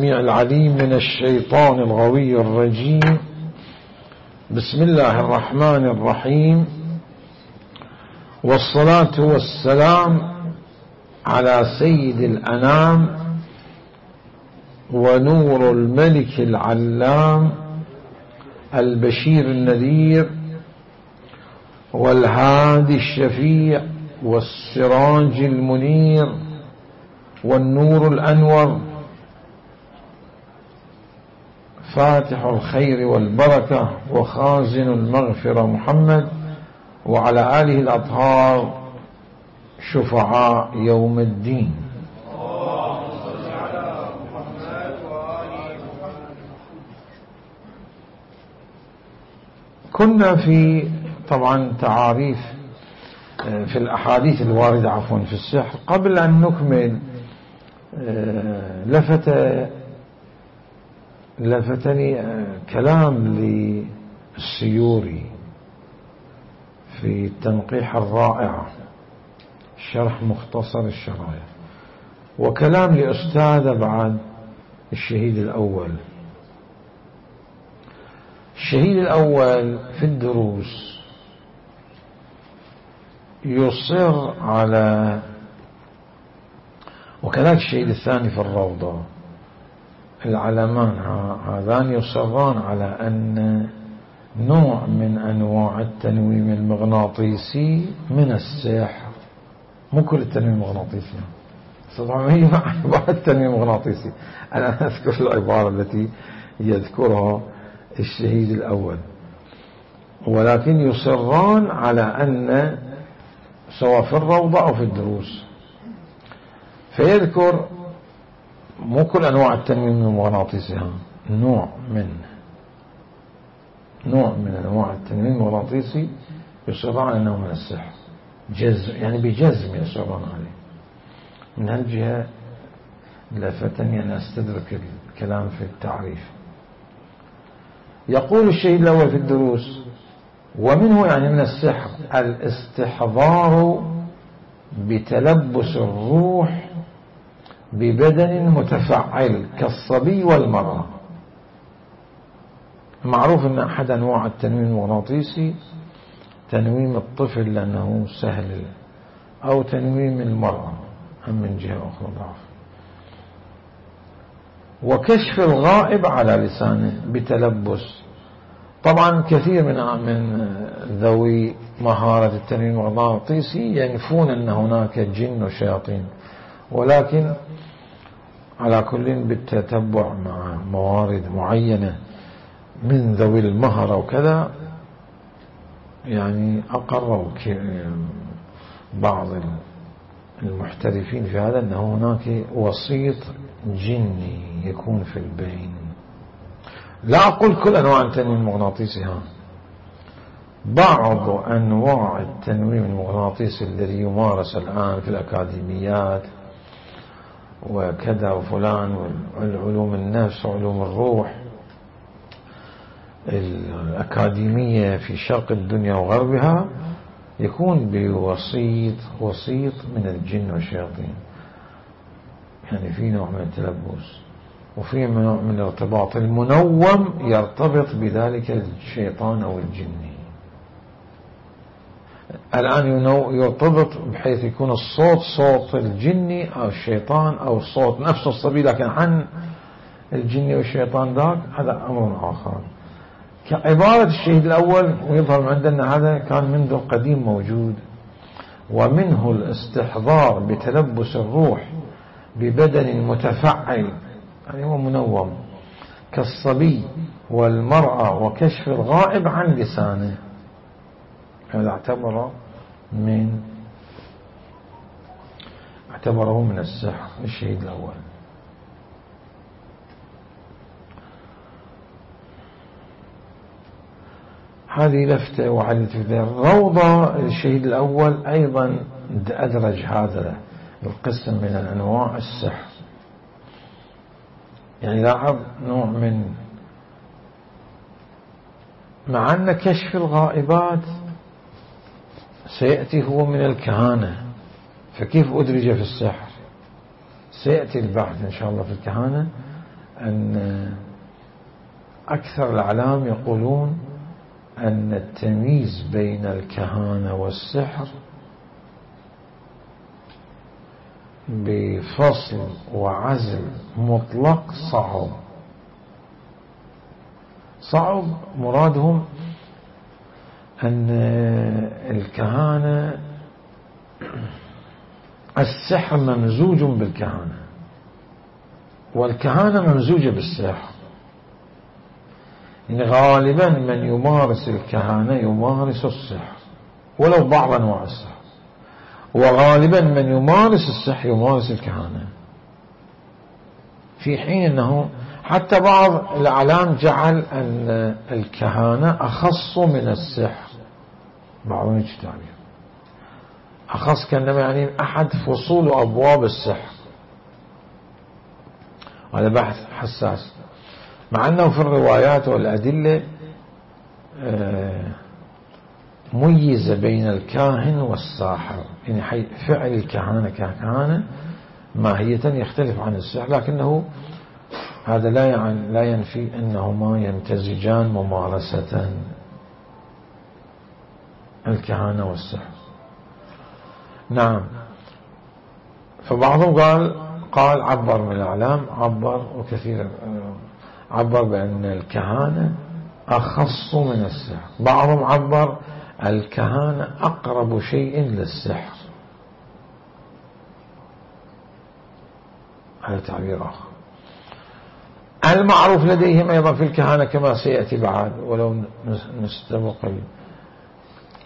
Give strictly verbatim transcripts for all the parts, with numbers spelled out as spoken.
العليم من الشيطان الغوي الرجيم. بسم الله الرحمن الرحيم، والصلاة والسلام على سيد الأنام ونور الملك العلام البشير النذير والهادي الشفيع والسراج المنير والنور الأنور فاتح الخير والبركة وخازن المغفرة محمد وعلى آله الأطهار شفعاء يوم الدين. كنا في طبعا تعاريف في الأحاديث الواردة عفوا في السحر. قبل أن نكمل لفت لفتني كلام للسيوري في التنقيح الرائع شرح مختصر الشرايع، وكلام لأستاذ بعد الشهيد الأول. الشهيد الأول في الدروس يصر على، وكذلك الشهيد الثاني في الروضة، العلمان هذان يصران على أن نوع من أنواع التنويم المغناطيسي من السحر. مو كل التنويم المغناطيسي، طبعا هي بعض التنويم المغناطيسي. أنا أذكر العبارة التي يذكرها الشهيد الأول، ولكن يصران على أن سواء في الروضة أو في الدروس، فيذكر مو كل أنواع التنويم المغناطيسي، نوع من نوع من أنواع التنويم المغناطيسي يصران أنه من السحر، جزم يعني بجزم يصران عليه. من هالجهة لفتني أن أستدرك الكلام في التعريف. يقول الشهيد الأول في الدروس: ومنه يعني من السحر الاستحضار بتلبس الروح ببدن متفعل كالصبي والمرأة. معروف أن أحد أنواع التنويم المغناطيسي تنويم الطفل لأنه سهل، أو تنويم المرأة أم من جهة أخرى ضعف. وكشف الغائب على لسانه بتلبس. طبعا كثير من من ذوي مهارة التنويم المغناطيسي ينفون أن هناك جن وشياطين، ولكن على كل بالتتبع مع موارد معينة من ذوي المهرة وكذا، يعني أقروا بعض المحترفين في هذا أن هناك وسيط جني يكون في البين. لا أقول كل أنواع التنويم المغناطيسي، ها بعض أنواع التنويم المغناطيسي الذي يمارس الآن في الأكاديميات وكذا وفلان، والعلوم النفس وعلوم الروح الأكاديمية في شرق الدنيا وغربها، يكون بوسيط وسيط من الجن والشياطين. يعني في نوع من التلبس وفي نوع من الارتباط المنوم يرتبط بذلك الشيطان أو الجني. الآن يرتبط بحيث يكون الصوت صوت الجني أو الشيطان، أو الصوت نفس الصبي لكن عن الجني والشيطان ذاك، هذا أمر آخر. كعبارة الشهيد الأول، ويظهر عندنا هذا كان منذ القديم موجود. ومنه الاستحضار بتلبس الروح ببدن متفعل، يعني هو منوم كالصبي والمرأة، وكشف الغائب عن لسانه. هذا اعتبره من اعتبره من السحر الشهيد الأول. هذه لفتة وعلة الروضة. الشهيد الأول أيضا أدرج هذا القسم من الأنواع السحر، يعني لاحظ نوع من، مع أن كشف الغائبات سيأتي هو من الكهانة، فكيف أدرج في السحر؟ سيأتي البحث إن شاء الله في الكهانة أن أكثر الأعلام يقولون أن التمييز بين الكهانة والسحر بفصل وعزل مطلق صعب. صعب مرادهم أن الكهانة السحر ممزوج بالكهانة، والكهانة ممزوجة بالسحر. يعني غالبا من يمارس الكهانة يمارس السحر ولو بعض أنواع السحر، وغالبا من يمارس السحر يمارس الكهانة، في حين أنه حتى بعض الأعلام جعل أن الكهانة أخص من السحر، بعضهم يجتعبه أخص كأنما يعني أحد فصول أبواب السحر. هذا بحث حساس، مع أنه في الروايات والأدلة ميز بين الكاهن والساحر، يعني فعل الكهانة ككهانة ماهية يختلف عن السحر، لكنه هذا لا يعني لا ينفي أنهما يمتزجان ممارسة، الكهانة والسحر. نعم. فبعضهم قال قال عبر من الأعلام، عبر وكثير عبر بأن الكهانة أخص من السحر، بعضهم عبر الكهانة أقرب شيء للسحر، هذا تعبير آخر. المعروف لديهم أيضا في الكهانة كما سيأتي بعد، ولو نستبق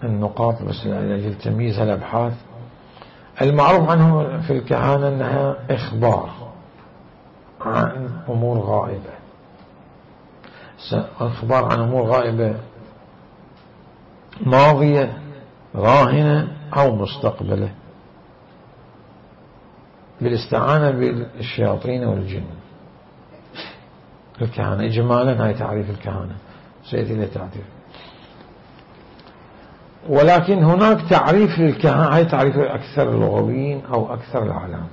النقاط بس لأجل تمييز الأبحاث. المعروف عنه في الكهانة أنها إخبار عن أمور غائبة، إخبار عن أمور غائبة ماضية راهنة أو مستقبلة بالاستعانة بالشياطين والجن. الكهانة إجمالا هاي تعريف الكهانة، سيأتي إلى تعريف. ولكن هناك تعريف للكهانة، هاي تعريف أكثر اللغويين أو أكثر العالم،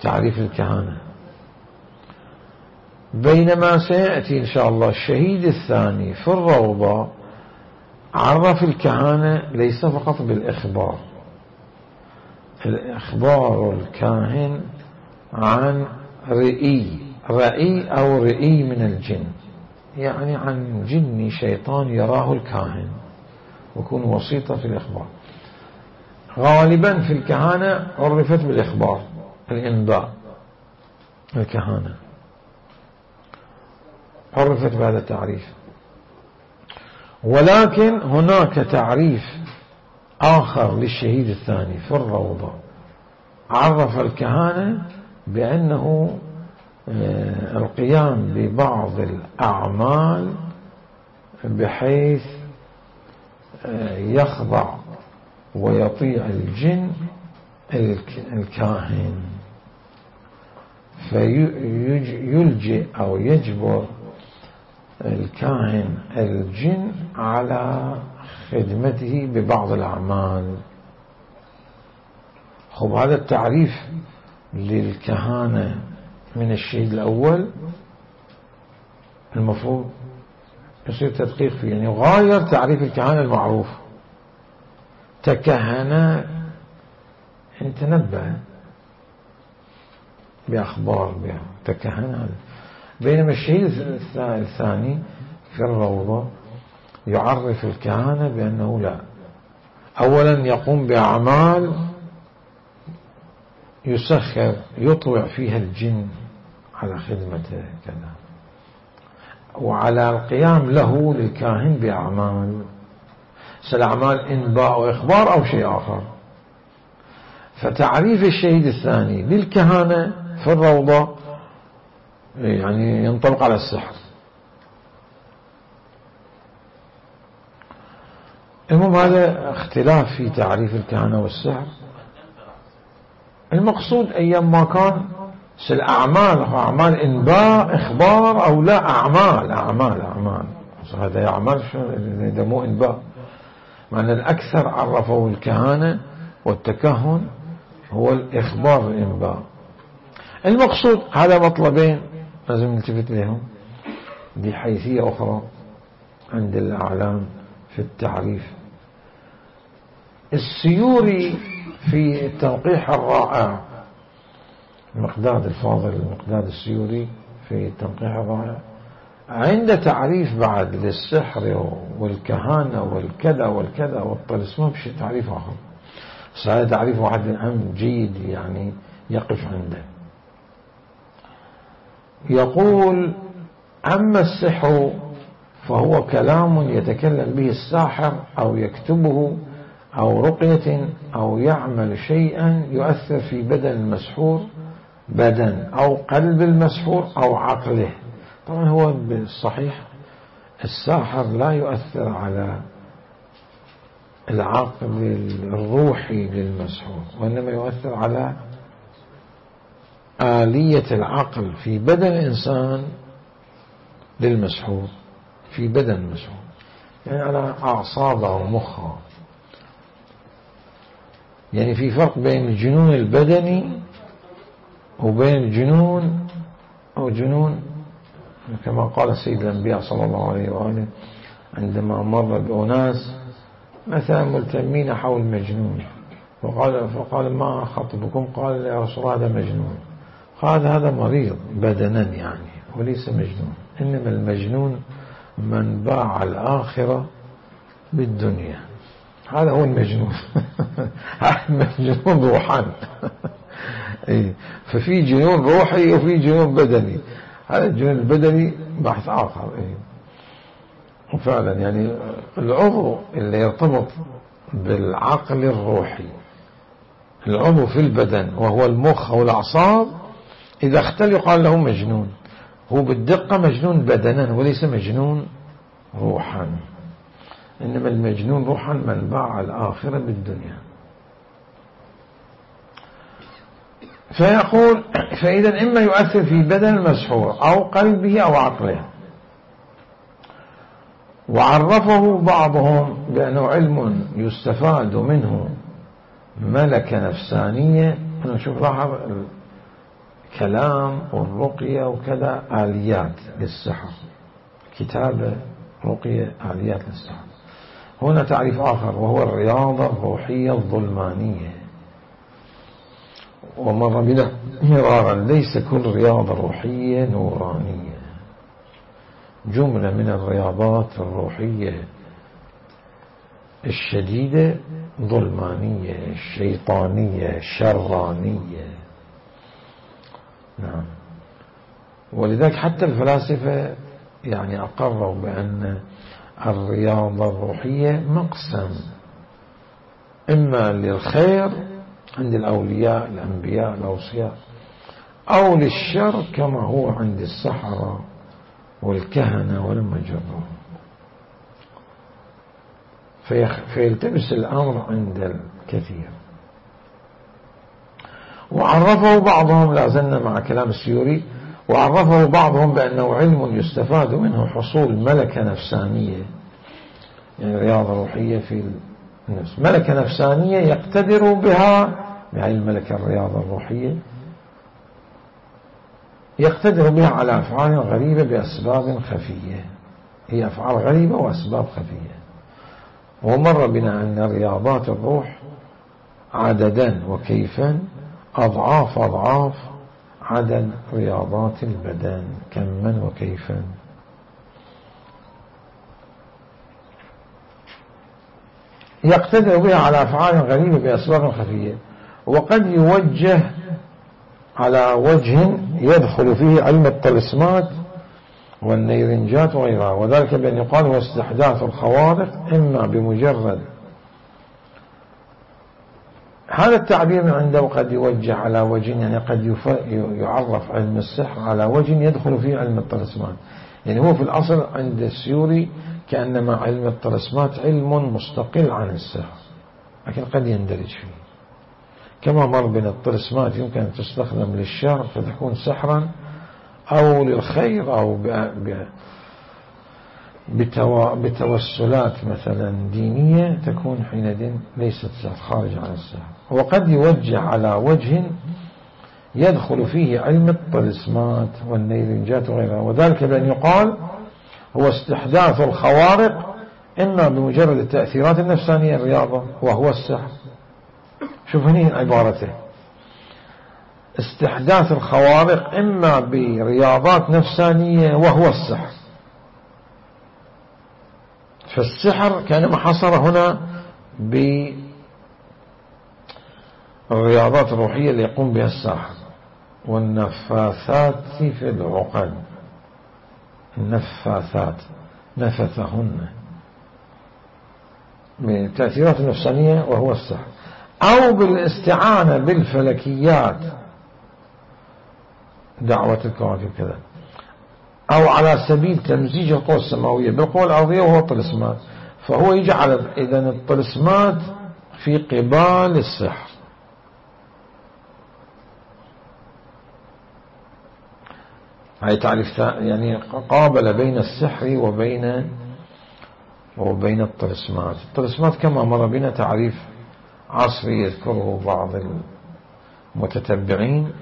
تعريف الكهانة. بينما سيأتي إن شاء الله الشهيد الثاني في الروضة عرف الكهانة ليس فقط بالإخبار، الإخبار الكاهن عن رئي رئي أو رئي من الجن، يعني عن جن شيطان يراه الكاهن ويكون وسيطة في الإخبار. غالبا في الكهانة عرفت بالإخبار، الإنباء، الكهانة عرفت بهذا التعريف. ولكن هناك تعريف آخر للشهيد الثاني في الروضة، عرف الكهانة بأنه القيام ببعض الأعمال بحيث يخضع ويطيع الجن الكاهن، فيلجئ أو يجبر الكاهن الجن على خدمته ببعض الأعمال. خب هذا التعريف للكهانة من الشهيد الأول المفروض يصير تدقيق فيه، يعني غاير تعريف الكهانة المعروف، تكهن يعني تنبه بأخبار بها، تكهن. بينما الشهيد الثاني في الروضة يعرف الكهانة بأنه لا، أولا يقوم بأعمال يسخر يطوع فيها الجن على خدمته كذا، وعلى القيام له للكاهن بأعمال، سالأعمال إنباء وإخبار أو شيء آخر. فتعريف الشهيد الثاني للكهانة في الروضة يعني ينطبق على السحر. المهم هذا اختلاف في تعريف الكهانة والسحر. المقصود أيام ما كان الأعمال أعمال إنباء إخبار أو لا، أعمال أعمال أعمال هذا أعمال إذا مو إنباء، معنى الأكثر عرفوا الكهانة والتكهن هو الإخبار الإنباء. المقصود هذا مطلبين لازم نلتفت لهم بحيثية أخرى عند الأعلام في التعريف. السيوري في التنقيح الرائع، المقداد الفاضل المقداد السيوري في التنقيح الرائع، عند تعريف بعد للسحر والكهانة والكذا والكذا والطلسمان بشي تعريف آخر، بس هذا تعريف واحد أهم جيد يعني يقف عنده. يقول: أما السحر فهو كلام يتكلم به الساحر أو يكتبه أو رقية أو يعمل شيئا يؤثر في بدن المسحور، بدن أو قلب المسحور أو عقله. طبعا هو بالصحيح الساحر لا يؤثر على العقل الروحي للمسحور، وإنما يؤثر على آلية العقل في بدن الإنسان للمسحور، في بدن المسحور، يعني على أعصابه ومخه. يعني في فرق بين الجنون البدني وبين الجنون أو جنون كما قال سيد الأنبياء صلى الله عليه وآله عندما مر بأناس مثلا ملتمين حول مجنون، فقال, فقال: ما خطبكم؟ قال: يا رسول الله هذا مجنون. قال: هذا مريض بدنا يعني وليس مجنون، إنما المجنون من باع الآخرة بالدنيا، هذا هو المجنون. المجنون روحان. ففي جنون روحي وفي جنون بدني، هذا الجنون البدني بحث آخر. وفعلا يعني العضو اللي يرتبط بالعقل الروحي، العضو في البدن وهو المخ أو الأعصاب، إذا اختل يقال له مجنون. هو بالدقة مجنون بدنا وليس مجنون روحا، إنما المجنون روحا من باع الآخرة بالدنيا. فيقول: فإذا إما يؤثر في بدن المسحور أو قلبه أو عقله. وعرفه بعضهم بأنه علم يستفاد منه ملكة نفسانية. أنا شوف لاحظ الكلام والرقية وكذا آليات للسحر، كتابة رقية آليات للسحر. هنا تعريف آخر وهو الرياضة الروحية الظلمانية. ومر بنا مرارا: ليس كل رياضة روحية نورانية، جملة من الرياضات الروحية الشديدة ظلمانية شيطانية شرانية. نعم. ولذلك حتى الفلاسفة يعني أقروا بأن الرياضة الروحية مقسم، إما للخير عند الأولياء الأنبياء الأوصياء، أو للشر كما هو عند السحرة والكهنة والمجرة. فيلتبس الأمر عند الكثير. وعرفه بعضهم، لا زلنا مع كلام السيوري، وعرفه بعضهم بأنه علم يستفاد منه حصول ملكة نفسانية، يعني رياضة روحية في النفس، ملكة نفسانية يقتدر بها، يعني الملكة الرياضة الروحية يقتدر بها على أفعال غريبة بأسباب خفية، هي أفعال غريبة وأسباب خفية. ومر بنا أن رياضات الروح عددا وكيفا أضعاف أضعاف عدد رياضات البدن، كما وكيفا. يقتدر بها على أفعال غريبة بأسباب خفية، وقد يوجه على وجه يدخل فيه علم الطلسمات والنيرنجات وغيرها، وذلك بأن يقال هو استحداث الخوارق إما بمجرد هذا التعبير عنده، قد يوجه على وجه يعني قد يعرف علم السحر على وجه يدخل فيه علم الطلسمات. يعني هو في الأصل عند السيوري كأنما علم الطلسمات علم مستقل عن السحر، لكن قد يندرج فيه، كما مر بين الطلسمات يمكن أن تستخدم للشر فتكون سحرا، أو للخير، أو بتوسلات مثلا دينية تكون حينئذ ليست سحر، خارج عن السحر. وقد يوجه على وجه يدخل فيه علم الطلسمات والنيرنجات وغيرها، وذلك بأن يقال هو استحداث الخوارق إما بمجرد التأثيرات النفسانية الرياضة وهو السحر. شوف هنا عبارته، استحداث الخوارق إما برياضات نفسانية وهو السحر. فالسحر كانما حصر هنا بالرياضات الروحية اللي يقوم بها الساحر، والنفاثات في العقد، النفاثات نفثهن بالتأثيرات النفسانية وهو السحر، أو بالاستعانة بالفلكيات دعوة الكواكب كذا، أو على سبيل تمزيج القوى السماوية بالقوى الأرضية وهو الطلسمات. فهو يجعل إذن الطلسمات في قبال السحر. هاي تعريف يعني قابل بين السحر وبين وبين الطلسمات. الطلسمات كما مر بنا تعريف عصري يذكره بعض المتتبعين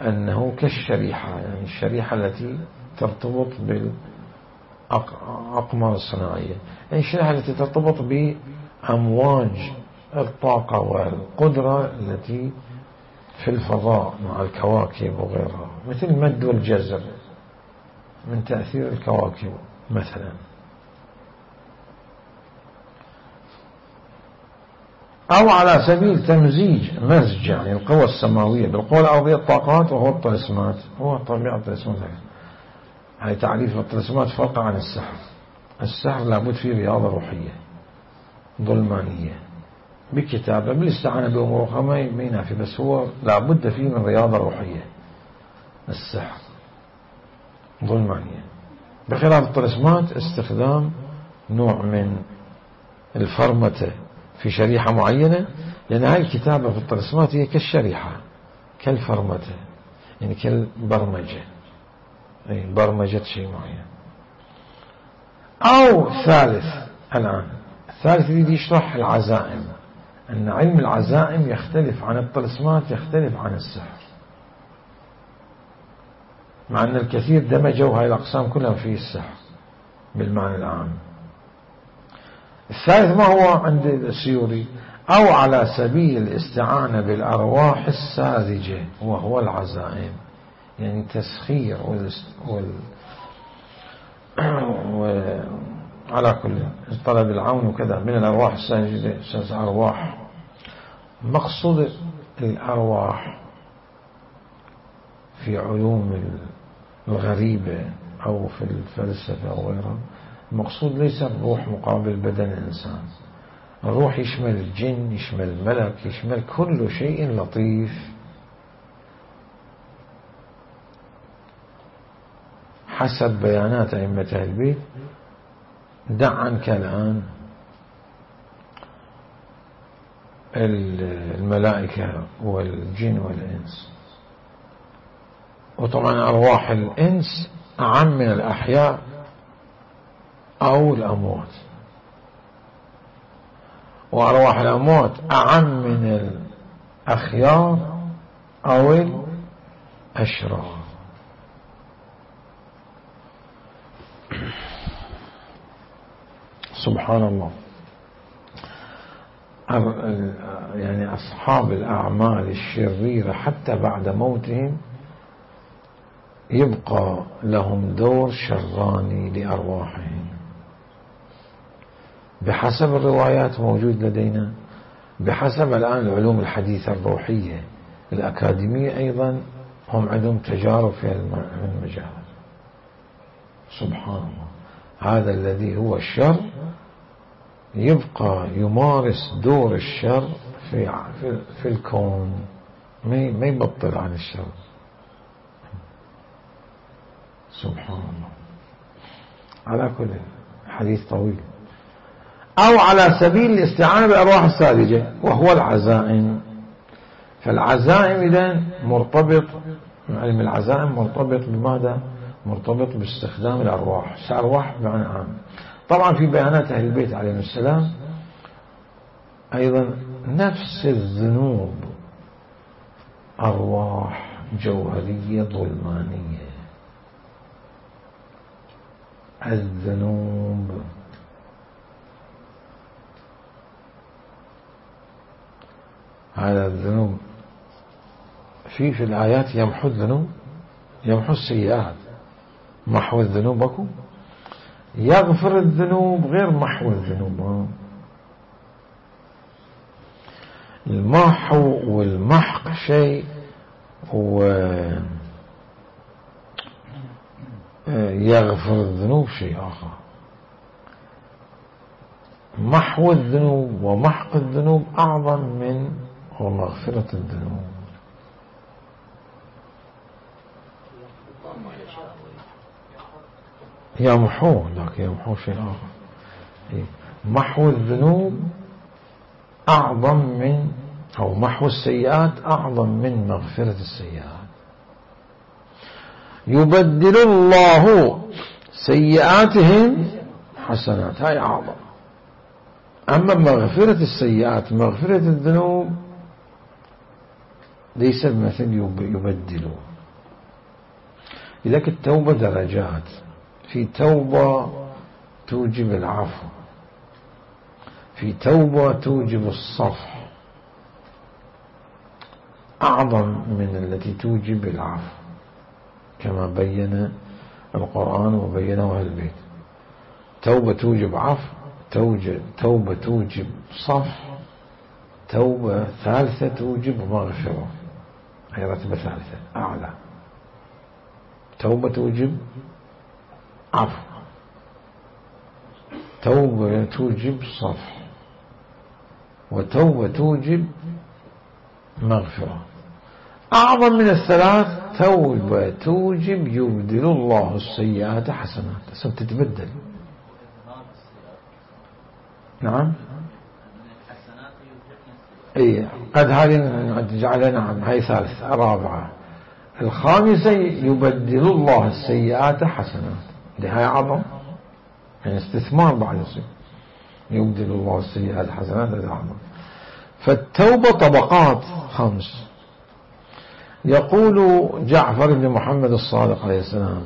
أنه كالشريحة، يعني الشريحة التي ترتبط بالأقمار الصناعية، يعني الشريحة التي ترتبط بأمواج الطاقة والقدرة التي في الفضاء مع الكواكب وغيرها، مثل المد والجزر من تأثير الكواكب مثلا. أو على سبيل تمزيج مزج يعني القوى السماوية بالقوى الأرضية الطاقات وهو الطلسمات. هو طبيعة الطلسمات هاي تعريف الطلسمات فرق عن السحر. السحر لابد فيه رياضة روحية ظلمانية بكتابة بالاستعانة بأمور أخرى ما ينافي، بس هو لابد فيه من رياضة روحية. السحر ظلمانية، بخلاف الطلسمات استخدام نوع من الفرمتة في شريحة معينة، لأن هاي الكتابة في الطلسمات هي كالشريحة كالفرمتة، يعني كالبرمجة، أي برمجة شيء معين. أو ثالث، الآن الثالث يريد يشرح العزائم، أن علم العزائم يختلف عن الطلسمات، يختلف عن السحر، مع أن الكثير دمجوا هاي الأقسام كلها في السحر بالمعنى العام. الثالث ما هو عند السيوري؟ أو على سبيل الاستعانة بالأرواح الساذجة وهو العزائم، يعني تسخير وال... وال... وعلى كل طلب العون وكذا من الأرواح الساذجة. أرواح مقصود الأرواح في علوم الغريبة أو في الفلسفة أو غيرها، المقصود ليس الروح مقابل بدن الإنسان. الروح يشمل الجن، يشمل الملك، يشمل كل شيء لطيف حسب بيانات أئمة أهل البيت. دع عنك الآن الملائكة والجن والإنس، وطبعا أرواح الإنس أعم من الأحياء أو الأموات، وأرواح الأموات أعم من الأخيار أو الأشرار. سبحان الله. يعني أصحاب الأعمال الشريرة حتى بعد موتهم يبقى لهم دور شراني لأرواحهم بحسب الروايات موجود لدينا، بحسب الآن العلوم الحديثة الروحية الأكاديمية أيضا هم عندهم تجارب في المجال. سبحان الله. هذا الذي هو الشر يبقى يمارس دور الشر في في, في الكون، ما يبطل عن الشر. سبحان الله. على كل حديث طويل. أو على سبيل الاستعانة بالأرواح الساذجة وهو العزائم. فالعزائم إذن مرتبط، علم العزائم مرتبط بماذا؟ مرتبط باستخدام الأرواح. الأرواح بمعنى عام. طبعا في بيانات أهل البيت عليهم السلام أيضا نفس الذنوب أرواح جوهرية ظلمانية. الذنوب هذا الذنوب في في الآيات يمحو الذنوب، يمحو السيئات. محو الذنوب اكو، يغفر الذنوب غير محو الذنوب. المحو والمحق شيء، ويغفر الذنوب شيء آخر. محو الذنوب ومحق الذنوب أعظم من ومغفرة الذنوب. يمحوه، لكن يمحوه شيء آخر. محو الذنوب أعظم من، أو محو السيئات أعظم من مغفرة السيئات. يبدل الله سيئاتهم حسنات، هاي أعظم. أما مغفرة السيئات، مغفرة الذنوب ليس بمثل يبدله. لذلك التوبة درجات. في توبة توجب العفو، في توبة توجب الصفح أعظم من التي توجب العفو، كما بين القرآن وبينه أهل البيت. توبة توجب عفو، توبة توجب صفح، توبة ثالثة توجب مغفرة، هي رتبة ثالثة أعلى. توبة توجب عفو، توبة توجب صفح، وتوبة توجب مغفرة. أعظم من الثلاث توبة توجب يبدل الله السيئات حسنات، عشان تتبدل. نعم، اي قد هذه جعلنا. نعم، هاي ثالثة. رابعة الخامسة يبدل الله السيئات حسنات، هاي أعظم، يعني استثمار بعد يصير. يبدل الله السيئات حسنات، هذا أعظم. فالتوبة طبقات خمس. يقول جعفر بن محمد الصادق عليه السلام،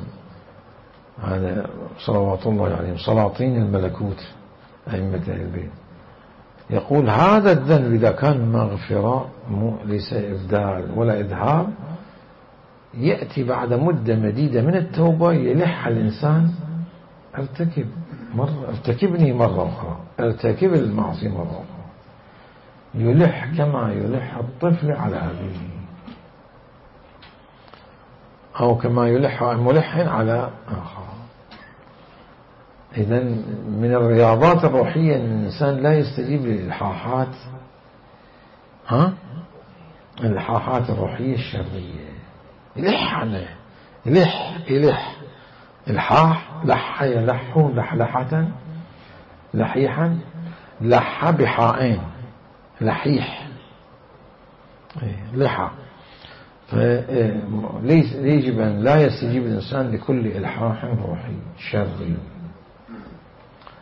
هذا صلوات الله عليهم سلاطين الملكوت أئمة أهل البيت، يقول هذا الذنب إذا كان مغفرة ليس إبدال ولا إذهاب، يأتي بعد مدة مديدة من التوبة يلح الإنسان ارتكب مرة، ارتكبني مرة أخرى، ارتكب المعصية مرة أخرى، يلح كما يلح الطفل على أبيه، أو كما يلح الملح على آخر. إذن من الرياضات الروحية أن الإنسان لا يستجيب للإلحاحات، ها الإلحاحات الروحية الشرية، يلح عليه، يلح يلح الحاح، لح يلح لحلحة، لحيحا، لح بحائين، لحيح لحى. فيجب أن لا يستجيب الإنسان لكل إلحاح روحي شري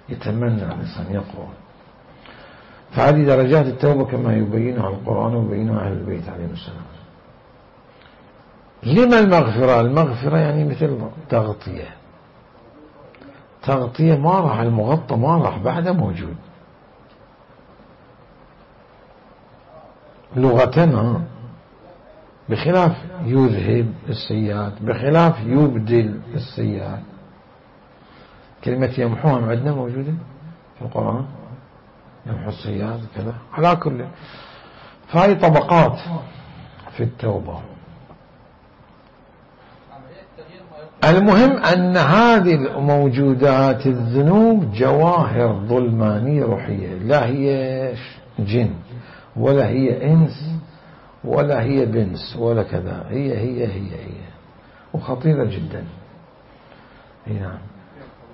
يتمنى الإنسان يقوى. فهذه درجات التوبة كما يبينها القرآن ويبينها أهل البيت عليهم السلام. لما المغفرة؟ المغفرة يعني مثل تغطية، تغطية ما راح، المغطى ما راح بعده موجود لغتنا، بخلاف يذهب السيئات، بخلاف يبدل السيئات. كلمة يمحوها عندنا موجودة في القرآن، يمحو السيئات كذا. على كل، فهي طبقات في التوبة. المهم أن هذه الموجودات الذنوب جواهر ظلمانية روحية، لا هي جن ولا هي إنس ولا هي بنس ولا كذا، هي هي هي هي وخطيرة جدا. نعم.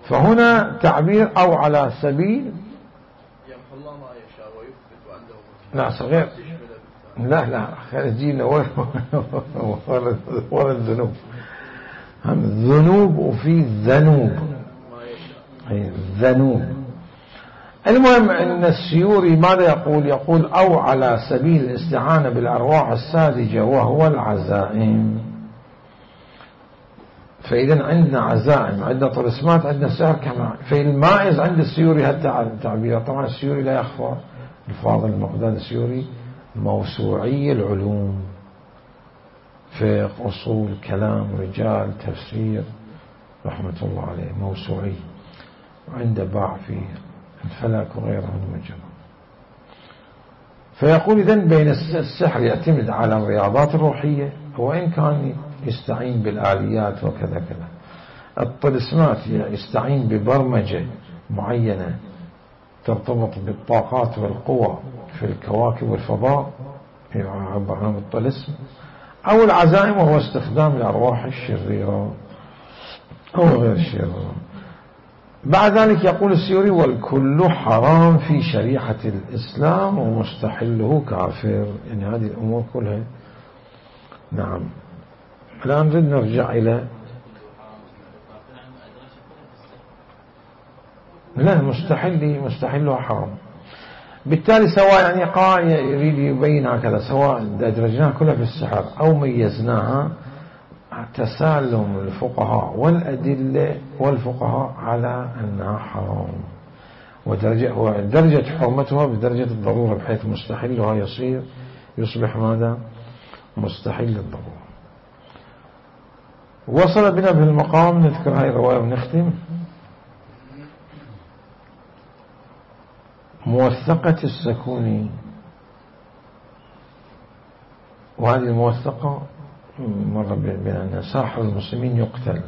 فهنا تعبير أو على سبيل لا صغير، لا لا خارجين ولا الذنوب، هم الذنوب وفي ذنوب، ذنوب. المهم أن السيوري ماذا يقول؟ يقول أو على سبيل الاستعانة بالأرواح الساذجة وهو العزائم. فإذا عندنا عزائم، عندنا طلسمات، عندنا سحر كمان. فالمائز عند السيوري هالتعبير. طبعا السيوري لا يخفى، الفاضل المقداد السيوري موسوعي العلوم، فقه، أصول، كلام، رجال، تفسير، رحمة الله عليه، موسوعي، وعنده باع في الفلك وغيره من المجال. فيقول إذن بين السحر يعتمد على الرياضات الروحية، وإن كان يستعين بالآليات وكذا كذا. الطلسمات يستعين ببرمجة معينة ترتبط بالطاقات والقوى في الكواكب والفضاء، يعبر عن الطلسم. أو العزائم وهو استخدام الأرواح الشريرة أو غير الشريرة. بعد ذلك يقول السيوري والكل حرام في شريعة الإسلام ومستحله كافر. يعني هذه الأمور كلها. نعم. الآن نريد نرجع إلى لا مستحل مستحله حرام. بالتالي سواء يعني قال يريد يبين هكذا، سواء أدرجناها كلها في السحر أو ميزناها، تسالم الفقهاء والأدلة والفقهاء على أنها حرام، ودرجة ودرجة حرمتها بدرجة الضرورة، بحيث مستحلها يصير يصبح ماذا؟ مستحيل الضرورة. وصل بنا في المقام نذكر هاي الرواية ونختم. موثقة السكوني، وهذه الموثقة مر بنا أن ساحر المسلمين يقتل،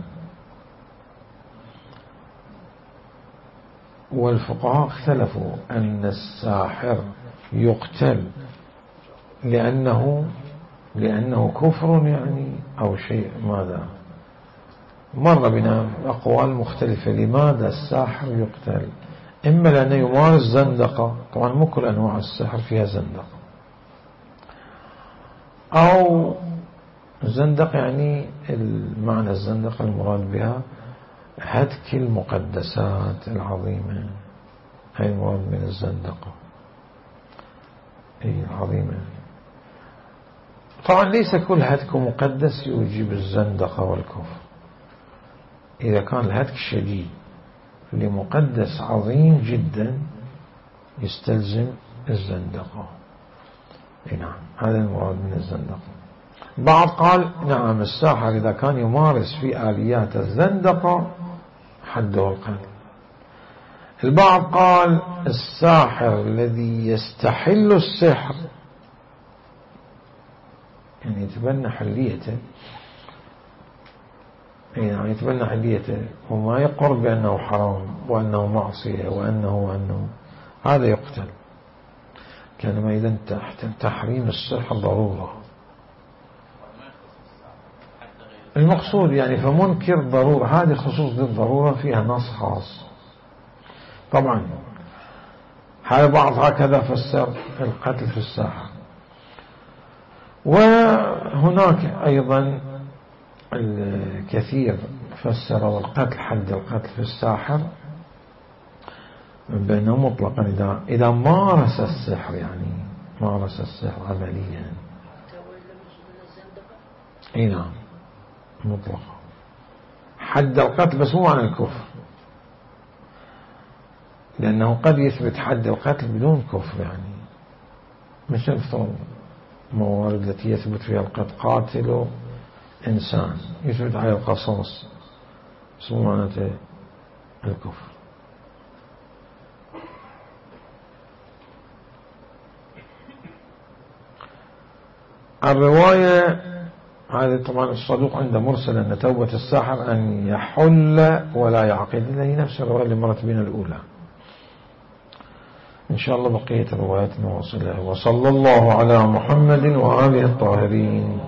والفقهاء اختلفوا أن الساحر يقتل لأنه لأنه كفر يعني أو شيء ماذا. مر بنا أقوال مختلفة لماذا الساحر يقتل. إما لأنه يمارس زندقة، طبعا مو كل أنواع السحر فيها زندقة، أو زندقة يعني المعنى الزندقة المراد بها هتك المقدسات العظيمة، هي المراد من الزندقة هي العظيمة. طبعا ليس كل هتك مقدس يوجب الزندقة والكفر. إذا كان الهتك شديد لمقدس عظيم جدا يستلزم الزندقة. نعم هذا المراد من الزندقة. بعض قال نعم الساحر إذا كان يمارس في آليات الزندقة حده القتل. البعض قال الساحر الذي يستحل السحر يعني يتبنى حليته، يعني يتبنى حليته وما يقر بأنه حرام وأنه معصية وأنه وأنه هذا يقتل. كان ما إذا تحت تحريم السحر ضرورة. المقصود يعني فمنكر ضرورة، هذه خصوص للضرورة فيها نص خاص. طبعا هذا بعض هكذا فسر القتل في الساحر. وهناك أيضا الكثير فسر القتل حد القتل في الساحر بأنه مطلقا إذا إذا مارس السحر، يعني مارس السحر عمليا. اي نعم مطلقا حد القتل، بس مو عن الكفر، لأنه قد يثبت حد القتل بدون كفر. يعني مش نفترض موارد التي يثبت فيها القتل قاتل إنسان يثبت عليه القصاص، بس مو معناته الكفر. الرواية هذه طبعا الصدوق عنده مرسل أن توبة الساحر أن يحل ولا يعقد، إلا هي نفس الرواية اللي مرت بنا الأولى. إن شاء الله بقية الروايات نواصلها. وصلى الله على محمد وآله الطاهرين.